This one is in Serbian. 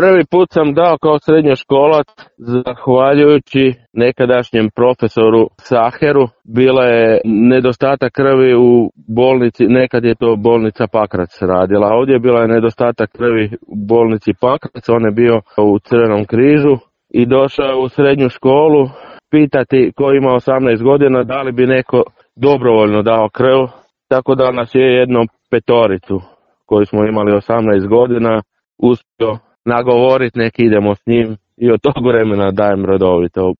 Prvi put sam dao kao srednjoškolac zahvaljujući nekadašnjem profesoru Saheru. Bila je nedostatak krvi u bolnici, nekad je to bolnica Pakrac radila. Ovdje je bila nedostatak krvi u bolnici Pakrac, on je bio u Crvenom križu i došao u srednju školu pitati ko ima 18 godina da li bi neko dobrovoljno dao krv. Tako da nas je jedno petoricu koji smo imali 18 godina uspio nagovoriti nek idemo s njim i od tog vremena dajem redovito.